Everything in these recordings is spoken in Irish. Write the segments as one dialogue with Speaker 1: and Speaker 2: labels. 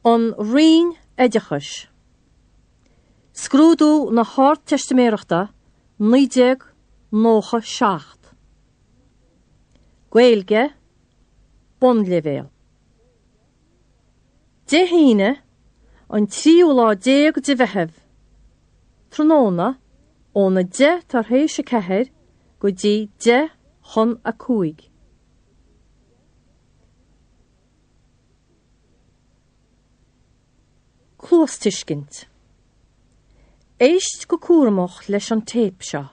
Speaker 1: An Roinn Oideachais. Scrúdú na hArdteistiméireachta 1997. Gaeilge, Bonnleibhéal. Dé hAoine, an tríú lá déag de Mheitheamh, tráthnóna, óna 10 tar éis 4 go dtí 10 chun 5. Cluastuiscint. Éist go cúramach leis an téip seo.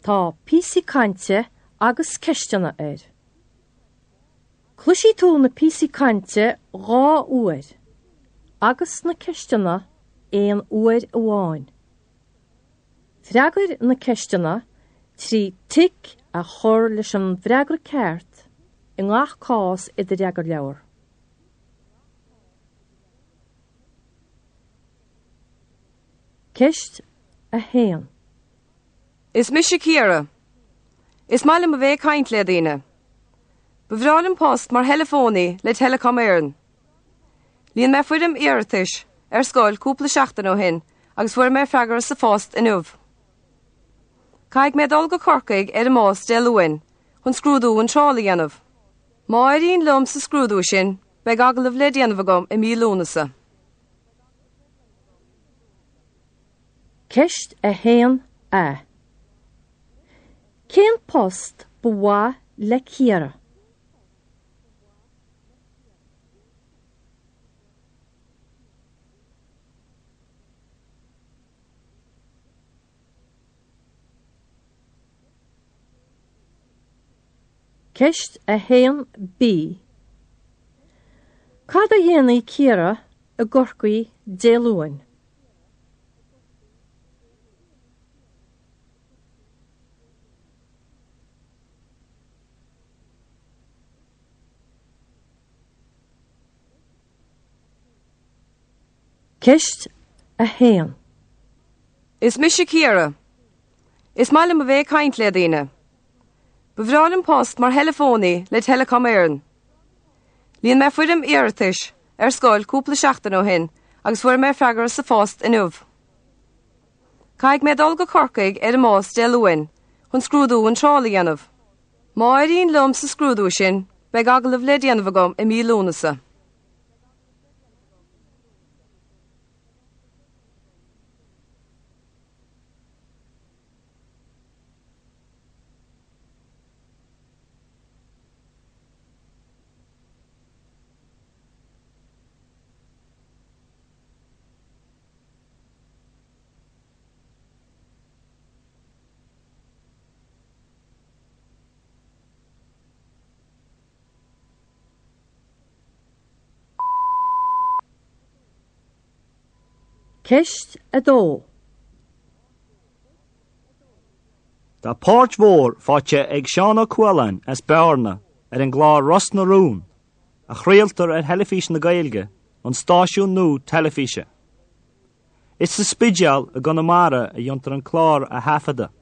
Speaker 1: Tá píosaí cainte agus ceisteanna air. Cloisfidh tú na píosaí cainte dhá uair agus na ceisteanna aon uair amháin. Freagair na ceisteanna trí tic a chur leis an bhfreagra ceart i ngach cás i do fhreagarleabhar. Ceist 1.
Speaker 2: Is mise Ciara. Is maith liom a bheith ag caint le daoine. Ba bhreá liom post mar theileafónaí le Telecom Éireann. Líon mé foirm iarratais ar scoil cúpla seachtain ó shin agus fuair mé freagra sa phost inniu. Caithfidh mé dul go Corcaigh ar an mbus Dé Luain chun scrúdú iontrála a dhéanamh. Má éiríonn liom sa scrúdú sin, beidh agallamh le déanamh agam i mí Lúnasa.
Speaker 1: Ceist 1A. Cén post ba mhaith le Ciara? Ceist 1B. Cad a dhéanfaidh Ciara i gCorcaigh Dé Luain? Ceist 1.
Speaker 2: Is mise Ciara. Is maith liom a bheith ag caint le daoine. Ba bhreá liom post mar theileafónaí le Telecom Éireann. Líon mé foirm iarratais ar scoil cúpla seachtain ó shin agus fuair mé freagra sa phost inniu. Caithfidh mé dul go Corcaigh ar an mbus Dé Luain chun scrúdú iontrála a dhéanamh. Má éiríonn liom sa scrúdú sin, beidh agallamh le déanamh agam i mí Lúnasa.
Speaker 1: Ceist 2.
Speaker 3: Tá páirt mhór faighte ag Seán Ó Cualáin as Bearna ar an gclár Ros na Rún, a chraoltar ar Theilifís na Gaeilge, an stáisiún nua teilifíse. Is sa Spidéal i gConamara a dhéantar an clár a thaifeadadh.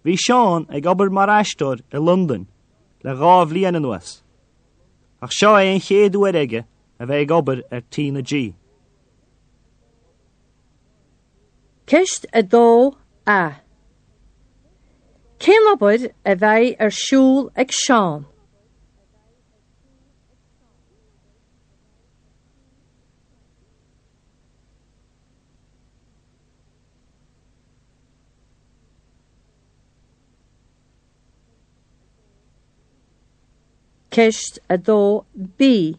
Speaker 3: Bhí Seán ag obair mar aisteoir i Londain le dhá bhliain anuas, ach seo é an chéad uair aige a bheith ag obair ar T na G.
Speaker 1: Ceist 2A. Cén obair a bheidh ar siúl ag Seán? Ceist 2B.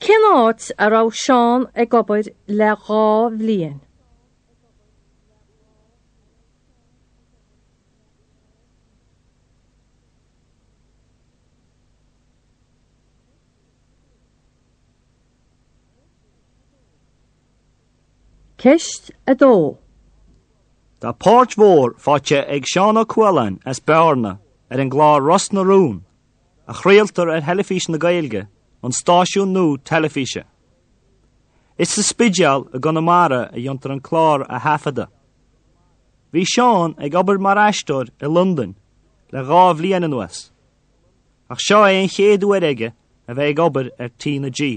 Speaker 1: Cén áit a raibh Seán ag obair le dhá bhliain? Ceist 2.
Speaker 3: Tá páirt mhór faighte ag Seán Ó Cualáin as Bearna ar an gclár Ros na Rún, a chraoltar ar Theilifís na Gaeilge, an stáisiún nua teilifíse. Is sa Spidéal i gConamara a dhéantar an clár a thaifeadadh. Bhí Seán ag obair mar aisteoir i Londain le dhá bhliain anuas. Ach seo é an chéad uair aige. a bheith ag obair ar T na G.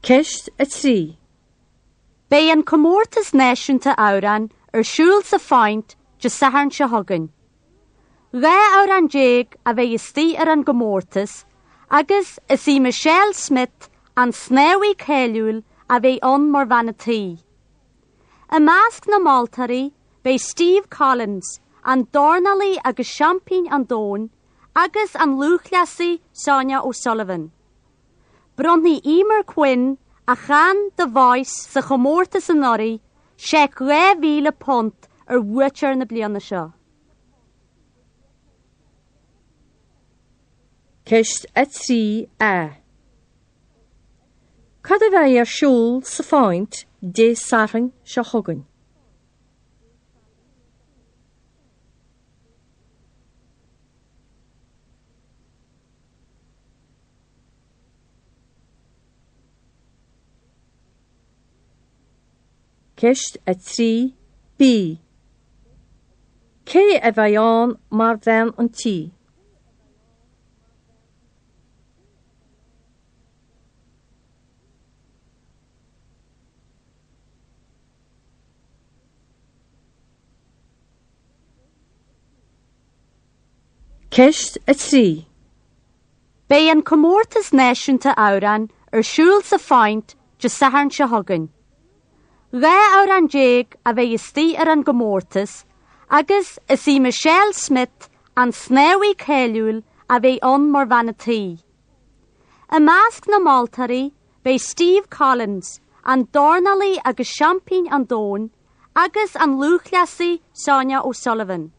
Speaker 1: Ceist 3.
Speaker 4: Beidh an Comórtas Náisiúnta Amhrán ar siúl sa Phoint Dé Sathairn seo chugainn. 12 amhrán a bheidh istigh ar an gcomórtas agus is í Michelle Smith, an snámhaí cáiliúil, a bheidh ann mar bhean an tí. I measc na moltóirí beidh Steve Collins, an dornálaí agus seaimpín an domhain, agus an lúthchleasaí Sonia O'Sullivan. Bronnfaidh Eimear Quinn, a chan The Voice sa chomórtas anuraidh, seic £2,000 ar bhuaiteoir na bliana seo.
Speaker 1: Ceist 3A. Cad a bheidh ar siúl sa Phoint Dé Sathairn seo chugainn? Ceist 3B. Cé a bheidh ann mar bhean an tí? Ceist 3.
Speaker 4: Beidh an Comórtas Náisiúnta Amhrán ar siúl sa Phoint Dé Sathairn seo chugainn. 12 amhrán a bheidh istigh ar an gcomórtas agus is í Michelle Smith, an snámhaí cáiliúil, a bheidh ann mar bhean an tí. I measc na moltóirí beidh Steve Collins, an dornálaí agus seaimpín an domhain, agus an lúthchleasaí Sonia O'Sullivan.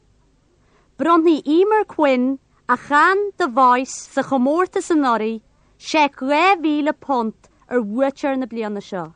Speaker 4: Bronnfaidh Eimear Quinn, a chan The Voice sa chomórtas anuraidh, seic £2,000 ar bhuaiteoir na bliana seo.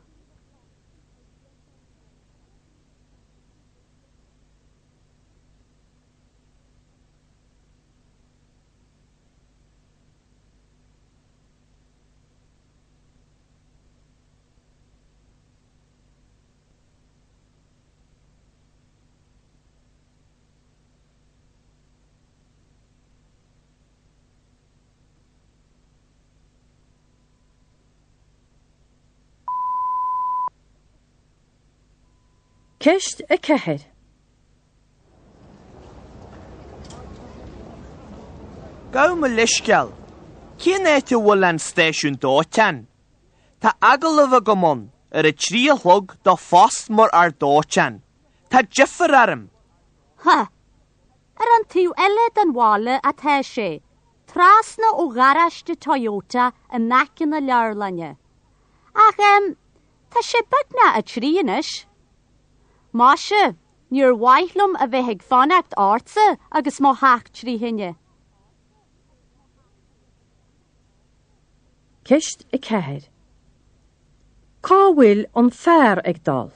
Speaker 1: Ceist 4.
Speaker 5: Gabh mo leithscéal. Cén áit a bhfuil an stáisiún dóiteáin? Tá agallamh agam ann ar a 3 a chlog do phost mar fhear dóiteáin. Tá deifir orm.
Speaker 4: Ha! Ar an taobh eile den bhaile atá sé, trasna ó gharáiste Toyota in aice na leabharlainne. Ach, em, tá sé beagnach a 3 anois. Maise, níor mhaith liom a bheith ag fanacht ortsa agus mo theach trí thine.
Speaker 1: Ceist 4. Cá bhfuil an fear ag dul?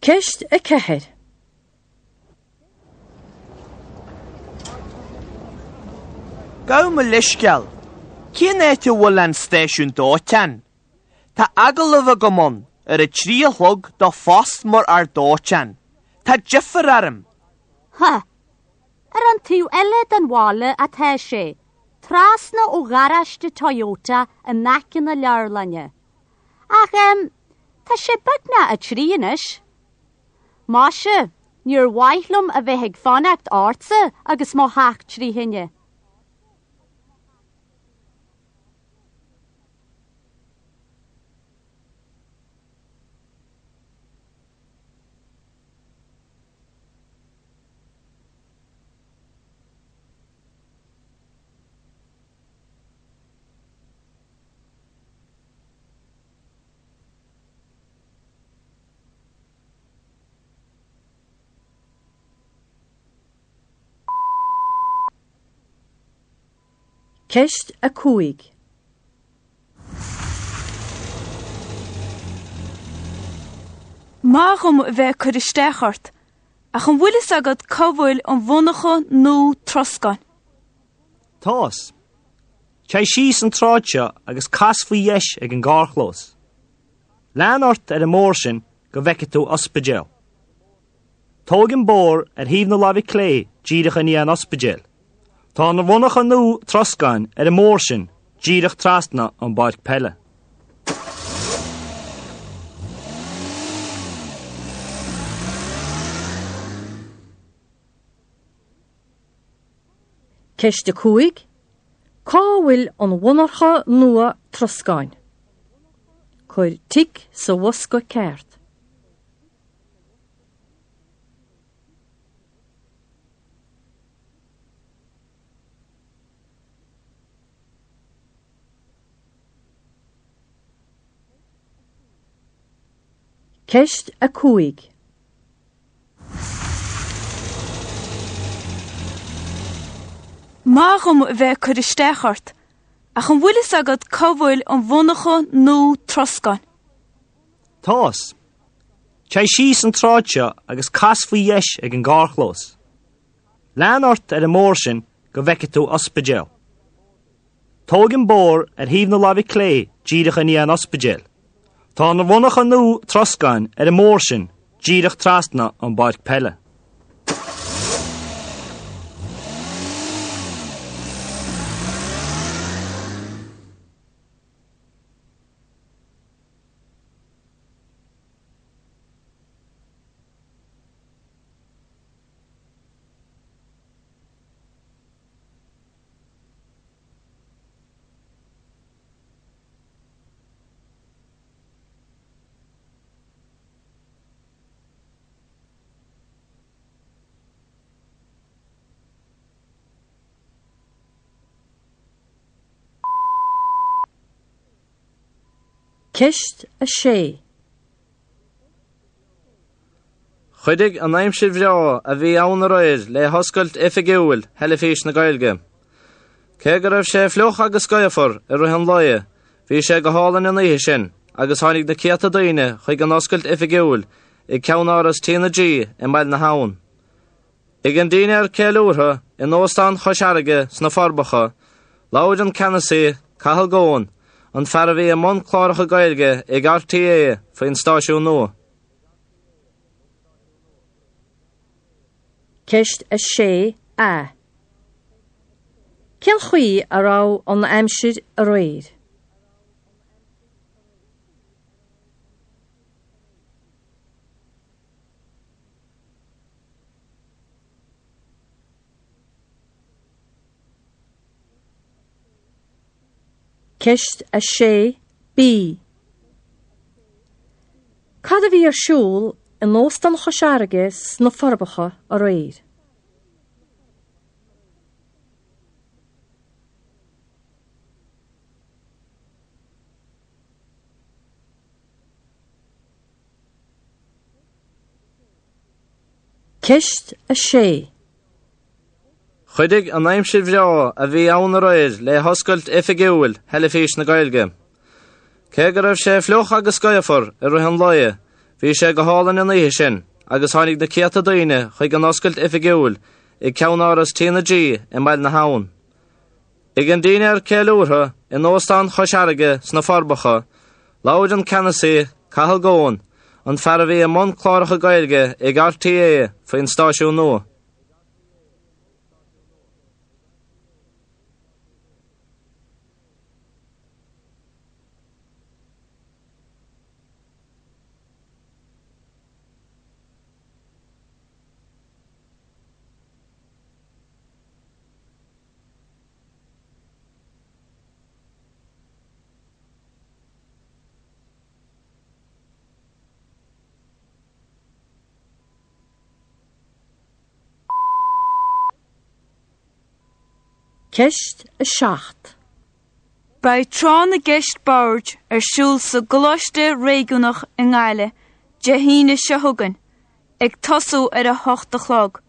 Speaker 1: Ceist 4.
Speaker 5: Gabh mo leithscéal. Cén áit a bhfuil an stáisiún dóiteáin? Tá agallamh agam ann ar a 3 a chlog do phost mar fhear dóiteáin. Tá deifir orm.
Speaker 4: Ha! Ar an taobh eile den bhaile atá sé, trasna ó gharáiste Toyota in aice na leabharlainne. Ach, em, tá sé beagnach a 3 anois. Maise, níor mhaith liom a bheith ag fanacht ortsa agus mo theach trí thine.
Speaker 1: Ceist 5.
Speaker 6: Maith dhom a bheith ag cur isteach ort, ach an bhfuil fhios agat cá bhfuil an mhonarcha nua troscáin?
Speaker 3: Tá's. Téigh síos an tsráid seo agus cas faoi dheis ag an gcarrchlós. Lean ort ar an mbóthar sin go bhfeicfidh tú ospidéal. Tóg an bóthar ar thaobh na láimhe clé díreach i ndiaidh an ospidéil. Tá an mhonarcha nua troscáin ar an mbóthar sin díreach trasna ón bpáirc peile.
Speaker 1: Ceist 5, Cá bhfuil an mhonarcha nua troscáin? Cuir tic sa bhosca ceart. Ceist 5.
Speaker 6: Maith dhom a bheith ag cur isteach ort, ach an bhfuil fhios agat cá bhfuil an mhonarcha nua troscáin?
Speaker 3: Tá's. Téigh síos an tsráid seo agus cas faoi dheis ag an gcarrchlós. Lean ort ar an mbóthar sin go bhfeicfidh tú ospidéal. Tóg an bóthar ar thaobh na láimhe clé díreach i ndiaidh an ospidéil. Tá an mhonarcha nua troscáin ar an mbóthar sin díreach trasna ón bpáirc peile.
Speaker 1: Ceist 6.
Speaker 7: Chuidigh an aimsir bhreá a bhí ann aréir le hoscailt oifigiúil Theilifís na Gaeilge. Cé go raibh sé fliuch agus gaofar i rith an lae, bhí sé go hálainn an oíche sin agus tháinig na céadta daoine chuig an oscailt oifigiúil i gceannáras TnaG i mBaile na hAbhann. Ag an dinnéar ceiliúrtha in Óstán Chois Fharraige sna Forbacha, labhair an ceannasaí, Cathal Goan, an fear a bhí i mbun cláracha Gaeilge ag RTÉ faoin stáisiún nua.
Speaker 1: Ceist 6A. Cén chaoi a raibh an aimsir aréir? Ceist 6 B. Cad a bhí ar siúl in Óstán Chois Fharraige sna Forbacha aréir? Ceist 6.
Speaker 7: Chuidigh an aimsir bhreá a bhí ann aréir le hoscailt oifigiúil Theilifís na Gaeilge. Cé go raibh sé fliuch agus gaofar i rith an lae, bhí sé go hálainn an oíche sin agus tháinig na céadta daoine chuig an oscailt oifigiúil i gceannáras TnaG i mBaile na hAbhann. Ag an dinnéar ceiliúrtha in Óstán Chois Fharraige sna Forbacha, labhair an ceannasaí, Cathal Goan, an fear a bhí i mbun cláracha Gaeilge ag RTÉ faoin stáisiún nua.
Speaker 1: Ceist 7.
Speaker 6: Beidh Tráth na gCeist Boird ar siúl sa gColáiste Réigiúnach i nGaillimh Dé hAoine seo chugainn, ag tosú ar a hocht a chlog.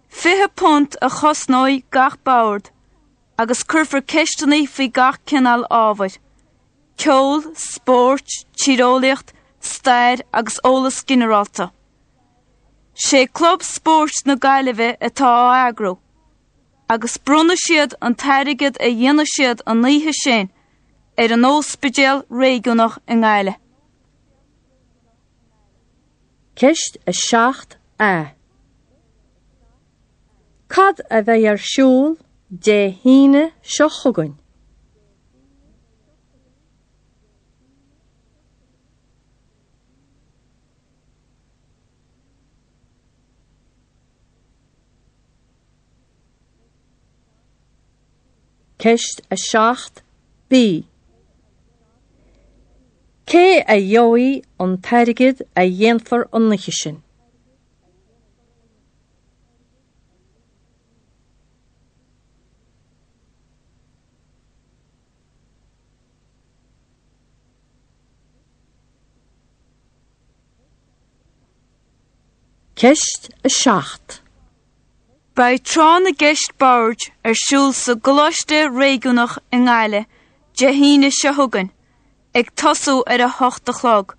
Speaker 6: £20 a chosnóidh gach bord. agus cuirfear ceisteanna faoi gach cineál ábhair, ceol, spórt, tíreolaíocht, stair agus eolas ginearálta. Sé Club Spóirt na Gaillimhe atá á eagrú, agus bronnfaidh siad an t-airgead a dhéanfaidh siad an oíche sin ar an Ospidéal Réigiúnach i nGaillimh.
Speaker 1: Ceist 7A. Cad a bheidh ar siúl Dé hAoine seo chugainn? Ceist 7B. Cé a gheobhaidh an t-airgead a dhéanfar an oíche sin? Ceist 7.
Speaker 6: Beidh Tráth na gCeist Boird ar siúl sa gColáiste Réigiúnach i nGaillimh Dé hAoine seo chugainn, ag tosú ar a hocht a chlog.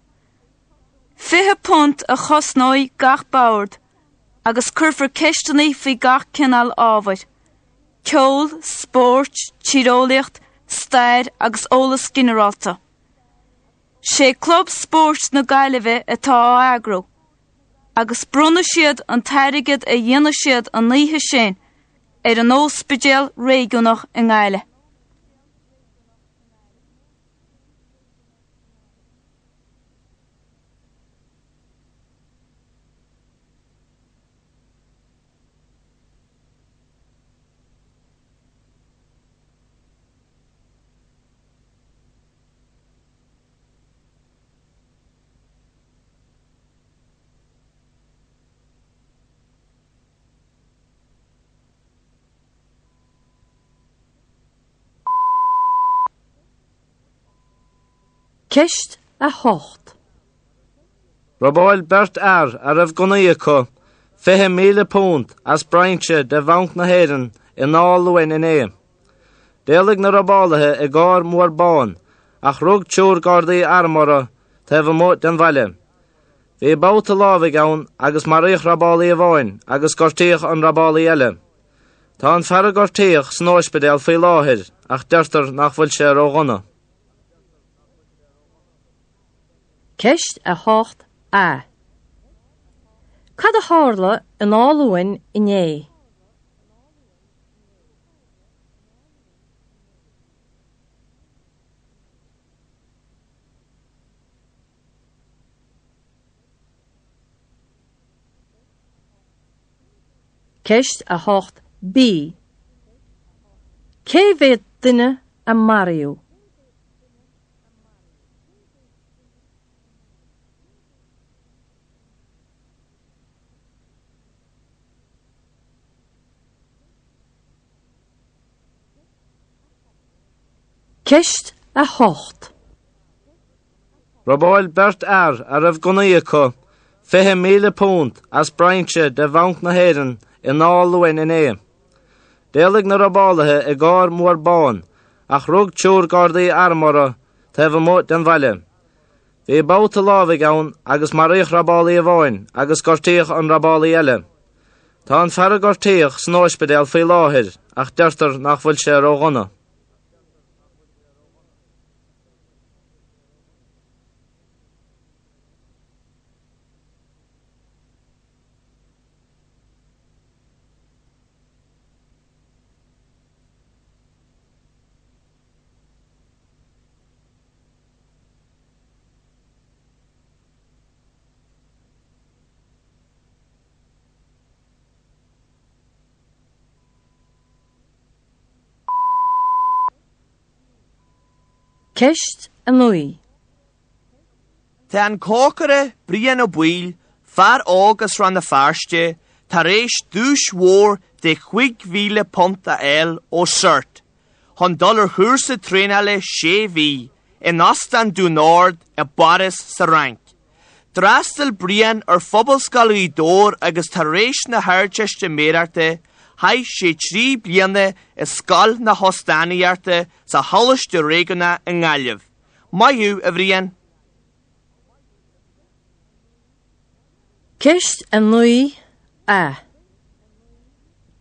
Speaker 6: £20 a chosnóidh gach bord agus cuirfear ceisteanna faoi gach cineál ábhair, ceol, spórt, tíreolaíocht, stair agus eolas ginearálta. Sé Club Spóirt na Gaillimhe atá á eagrú, agus bronnfaidh siad an t-airgead a dhéanfaidh siad an oíche sin ar an Ospidéal Réigiúnach i nGaillimh.
Speaker 1: Ceist 8.
Speaker 7: Robáil beirt fhear a raibh gunnaí acu £20,000 as brainse de Bhanc na hÉireann in Áth Luain inné. D'éalaigh na robálaithe i gcarr mór bán ach rug triúr Gardaí arm orthu taobh amuigh den bhaile. Bhí babhta lámhaigh ann agus maraíodh robálaí amháin agus gortaíodh an robálaí eile. Tá an fear a gortaíodh san óispidéal faoi láthair ach deirtear nach bhfuil sé ródhona.
Speaker 1: Ceist 8A. Cad a tharla in Áth Luain inné? Ceist 8B. Cé mhéad duine a maraíodh? Ceist 8.
Speaker 7: Robáil beirt fhear a raibh gunnaí acu £20,000 as brainse de Bhanc na hÉireann in Áth Luain inné. D'éalaigh na robálaithe i gcarr mór bán ach rug triúr Gardaí arm orthu taobh amuigh den bhaile. Bhí babhta lámhaigh ann agus maraíodh robálaí amháin agus gortaíodh an robálaí eile. Tá an fear a gortaíodh san óispidéal faoi láthair ach deirtear nach bhfuil sé ródhona.
Speaker 1: Ceist 9.
Speaker 5: Tá an cócaire Brian Ó Baoill, fear óg as Rann na Feirste, tar éis duais mhór de £5,000 a fháil ó CERT chun dul ar chúrsa traenála sé mhí in Óstán Dún Ard i bPáras sa Fhrainc. D'fhreastail Brian ar Phobalscoil Ghaoth Dobhair agus tar éis na hArdteistiméireachta. Chaith sé 3 bliana i Scoil na hÓstánaíochta sa Choláiste Réigiúnach i nGaillimh. Maith thú, a Bhriain!
Speaker 1: Ceist 9 A.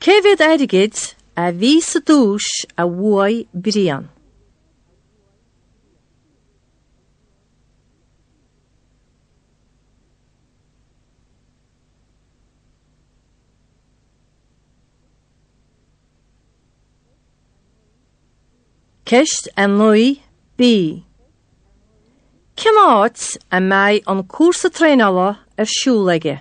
Speaker 1: Cé mhéad airgid a bhí sa duais a bhuaigh Brian? Ceist 9 B. Cén áit a mbeidh an cúrsa traenála ar siúl aige?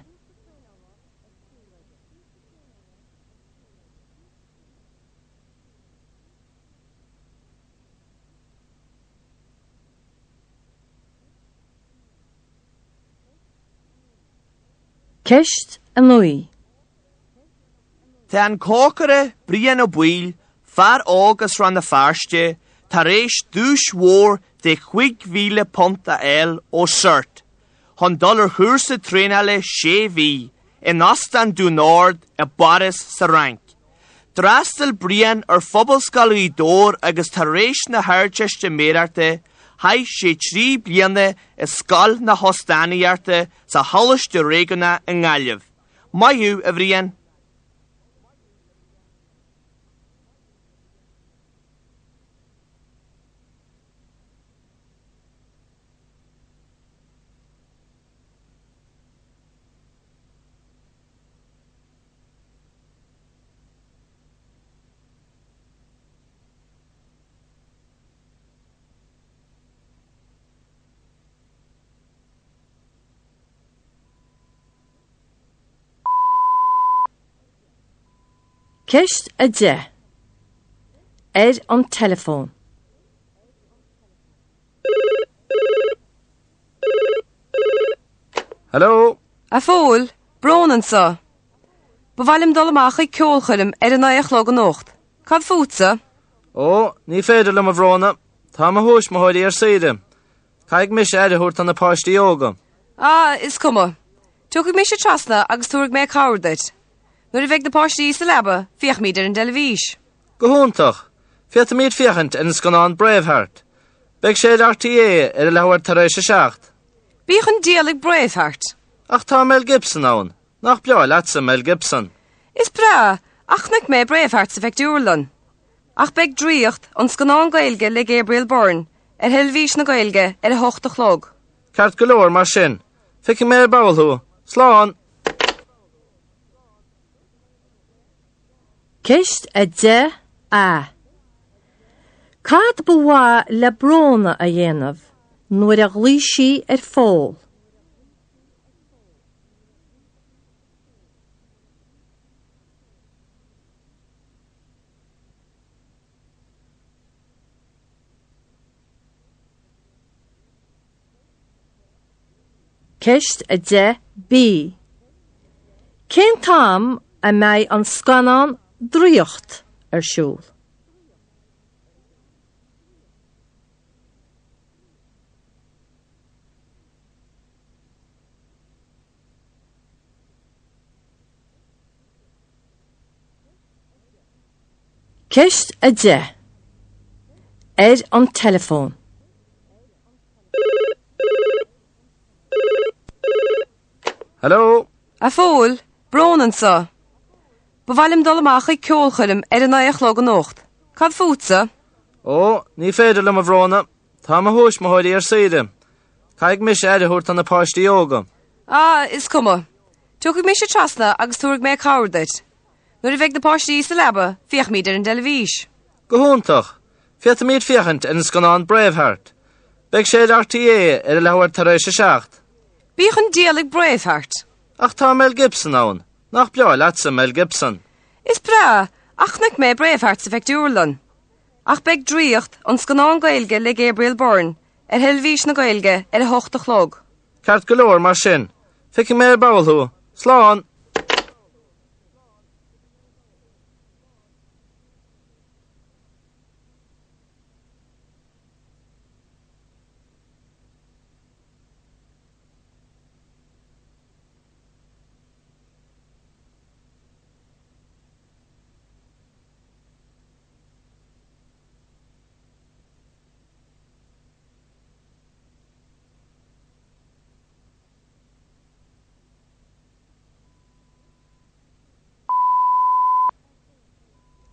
Speaker 1: Ceist 9.
Speaker 5: Tá an cócaire Brian Ó Baoill, fear óg as Rann na Feirste, tar éis duais mhór de £5,000 a fháil ó CERT chun dul ar chúrsa traenála sé mhí in Óstán Dún Ard i bPáras sa Fhrainc. D'fhreastail Brian ar Phobalscoil Ghaoth Dobhair agus tar éis na hArdteistiméireachta chaith sé 3 bliana i Scoil na hÓstánaíochta sa Choláiste Réigiúnach i nGaillimh. Maith thú, a Bhriain!
Speaker 1: Ceist 10. Ar an teileafón.
Speaker 7: Hello?
Speaker 2: A Phóil, Bróna anseo. Ba mhaith liom dul amach chuig ceolchoirm ar a naoi a chlog anocht. Cad fútsa?
Speaker 7: Ó, ní féidir liom a Bhróna. Tá mo thuismitheoirí ar saoire. Caithfidh mise aire a thabhairt do na páistí óga.
Speaker 2: Ah, is cuma. Tiocfaidh mise trasna agus tabharfaidh mé cabhair duit. Nuair a bheidh na páistí sa leaba, féachfaimid ar an dteilifís.
Speaker 7: Go hiontach! Féadfaimid féachaint ar an scannán Braveheart. Beidh sé ar RTÉ ar a leathuair tar éis a 7.
Speaker 2: Bíodh an diabhal ag Braveheart!
Speaker 7: Ach tá Mel Gibson ann. Nach breá leatsa Mel Gibson?
Speaker 2: Is breá, ach chonaic mé Braveheart sa phictiúrlann. Ach beidh Draíocht, an scannán Gaeilge le Gabriel Byrne, ar Theilifís na Gaeilge ar a hocht a chlog.
Speaker 7: Ceart go leor mar sin. Feicfidh mé ar ball thú. Slán!
Speaker 1: Ceist 10 A. Cad ba mhaith le Bróna a dhéanamh nuair a ghlaoigh sí ar Phól? Ceist 10 B. Cén t-am a mbeidh an scannán Draíocht ar siúl? Ceist 10. Ar an teileafón.
Speaker 7: Hello?
Speaker 2: A Phóil, Bróna anseo. Ba mhaith liom dul amach chuig ceolchoirm ar a naoi a chlog anocht. Cad fútsa?
Speaker 7: Ó, ní féidir liom a Bhróna. Tá mo thuismitheoirí ar saoire. Caithfidh mise aire a thabhairt do na páistí óga.
Speaker 2: Ah, is cuma. Tiocfaidh mise trasna agus tabharfaidh mé cabhair duit. Nuair a bheidh na páistí sa leaba, féachfaimid ar an dteilifís.
Speaker 7: Go hiontach! Féadfaimid féachaint ar an scannán Braveheart. Beidh sé ar RTÉ ar a leathuair tar éis a 7.
Speaker 2: Bíodh an diabhal ag Braveheart!
Speaker 7: Ach tá Mel Gibson ann. Nach breá leatsa Mel Gibson?
Speaker 2: Is breá, ach chonaic mé Braveheart sa phictiúrlann. Ach beidh Draíocht, an scannán Gaeilge le Gabriel Byrne, ar Theilifís na Gaeilge ar a hocht a chlog.
Speaker 7: Ceart go leor mar sin. Feicfidh mé ar ball thú. Slán!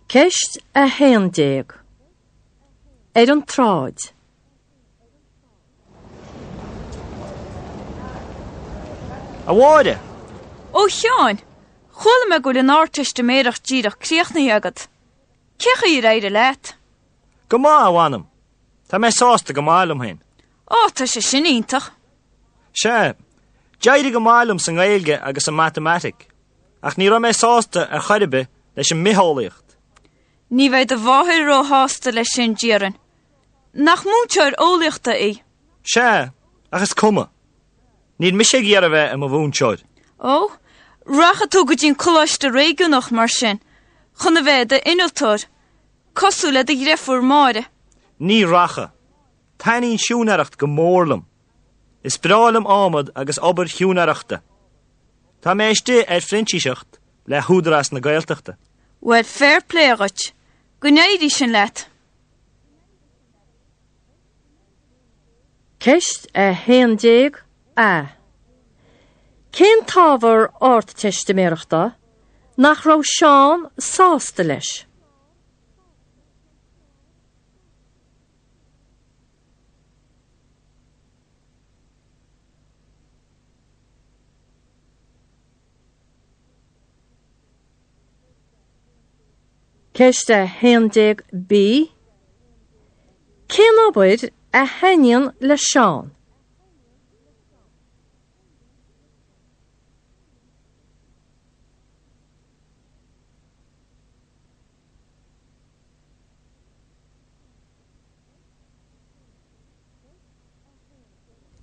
Speaker 1: Ceist 11. Ar an tsráid.
Speaker 3: A Mháire!
Speaker 6: Ó a Sheáin, chuala mé go bhfuil an Ardteistiméireacht díreach críochnaithe agat. Cé chaoi ar éirigh leat?
Speaker 3: Go maith, a mh'anam. Tá mé sásta go maith liom féin.
Speaker 6: Ó, tá sé sin iontach.
Speaker 3: Sea, d'éirigh go maith liom sa nGaeilge agus sa Matamaitic, ach ní raibh mé sásta ar chor ar bith leis an mBitheolaíocht.
Speaker 6: Ní bheidh do mháthair róshásta leis sin, déarfainn. Nach múinteoir eolaíochta í?
Speaker 3: Sea, ach is cuma. Níl mise ag iarraidh a bheith i mo mhúinteoir.
Speaker 6: Ó, rachaidh tú go dtí an coláiste réigiúnach mar sin, chun a bheith i d'innealtóir, cosúil le do dhreifúr Máire.
Speaker 3: Ní rachaidh. Taitníonn siúinéireacht go mór liom. Is breá liom adhmad agus obair shiúinéireachta. Tá mé istigh ar phrintíseacht le hÚdarás na Gaeltachta.
Speaker 6: Bhuel, fair play dhuit. Go n-éirí sin leat.
Speaker 1: Ceist 11 A. Cén t-ábhar Ardteistiméireachta nach raibh Seán sásta leis? Ceist 11 B. Cén obair a thaitníonn le Seán?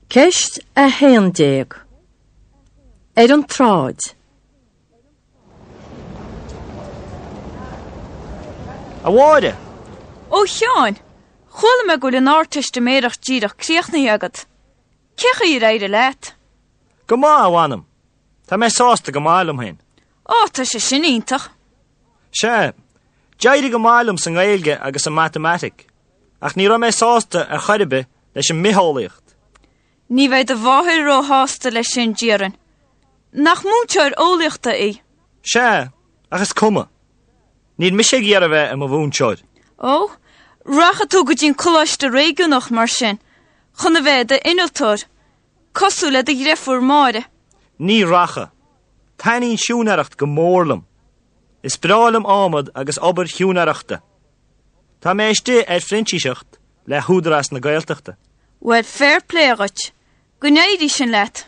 Speaker 1: Ceist 11. Ar an tsráid.
Speaker 3: A Mháire!
Speaker 6: Ó a Sheáin, chuala mé go bhfuil an Ardteistiméireacht díreach críochnaithe agat. Cé chaoi ar éirigh leat?
Speaker 3: Go maith, a mh'anam. Tá mé sásta go maith liom féin.
Speaker 6: Ó, tá sé sin iontach.
Speaker 3: Sea, d'éirigh go maith liom sa nGaeilge agus sa Matamaitic, ach ní raibh mé sásta ar chor ar bith leis an mBitheolaíocht.
Speaker 6: Ní bheidh do mháthair róshásta leis sin, déarfainn. Nach múinteoir eolaíochta í?
Speaker 3: Sea, ach is cuma. Níl mise ag iarraidh a bheith i mo mhúinteoir.
Speaker 6: Ó, rachaidh tú go dtí an coláiste réigiúnach mar sin, chun a bheith i d'innealtóir, cosúil le do dhreifúr Máire.
Speaker 3: Ní rachaidh. Taitníonn siúinéireacht go mór liom. Is breá liom adhmad agus obair shiúinéireachta. Tá mé istigh ar phrintíseacht le hÚdarás na Gaeltachta.
Speaker 6: Bhuel, fair play dhuit. Go n-éirí sin leat.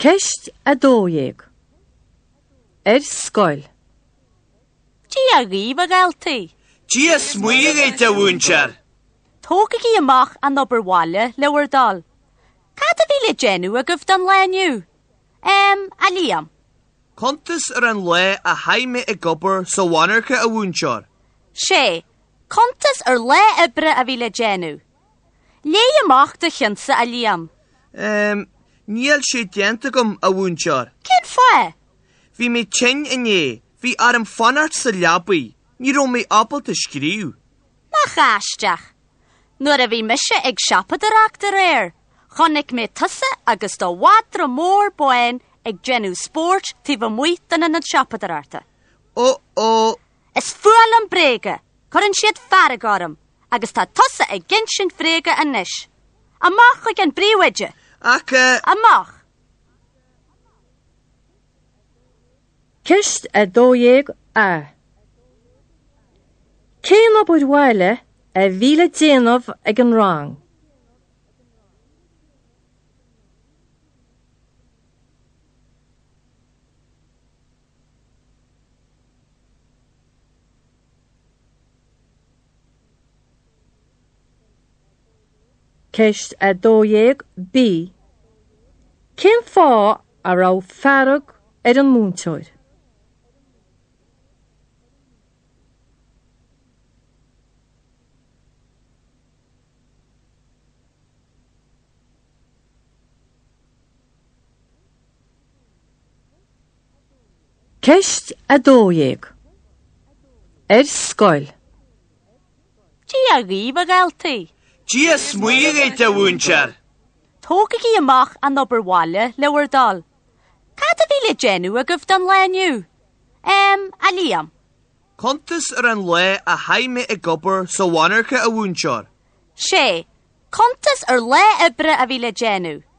Speaker 1: Ceist 12. Ar scoil.
Speaker 4: Dia dhaoibh, a dhaltaí.
Speaker 5: Dia 's Muire dhuit, a mhúinteoir.
Speaker 4: Tógaigí amach an obair bhaile le bhur dtoil. Cad a bhí le déanamh agaibh don lá inniu? Em, a Liam.
Speaker 5: Cuntas ar an lá a chaith mé ag obair sa mhonarcha, a mhúinteoir.
Speaker 4: Sea, cuntas ar lá oibre a bhí le déanamh. Léigh amach do chinnsa, a Liam.
Speaker 5: Em, níl sé déanta agam, a mhúinteoir.
Speaker 4: Cén fáth?
Speaker 5: Bhí mé tinn inné, bhí orm fanacht sa leabaidh, ní raibh mé ábalta scríobh.
Speaker 4: Nach aisteach! Nuair a bhí mise ag siopadóireacht aréir, chonaic mé tusa agus do mhadra mór bán ag déanamh spóirt taobh amuigh den ionad siopadóireachta.
Speaker 5: Ó ó!
Speaker 4: Is fuath liom bréaga, cuireann siad fearg orm, agus tá tusa ag insint bhréaga anois. Amach chuig an bpríomhoide!
Speaker 5: Ach eh.
Speaker 4: Amach!
Speaker 1: Ceist 12 A. Cén obair bhaile a bhí le déanamh ag an rang? Ceist 12 B. Cén fáth a raibh fearg ar an múinteoir? Ceist 12. Ar scoil.
Speaker 4: Dia dhaoibh, a dhaltaí.
Speaker 5: Dia 's Muire dhuit, a mhúinteoir.
Speaker 4: Tógaigí amach an obair bhaile, le bhur dtoil. Cad a bhí le déanamh agaibh don lá inniu? Em, a Liam.
Speaker 5: Cuntas ar an lá a chaith mé ag obair sa mhonarcha, a mhúinteoir.
Speaker 4: Sea, cuntas ar lá oibre a bhí le déanamh.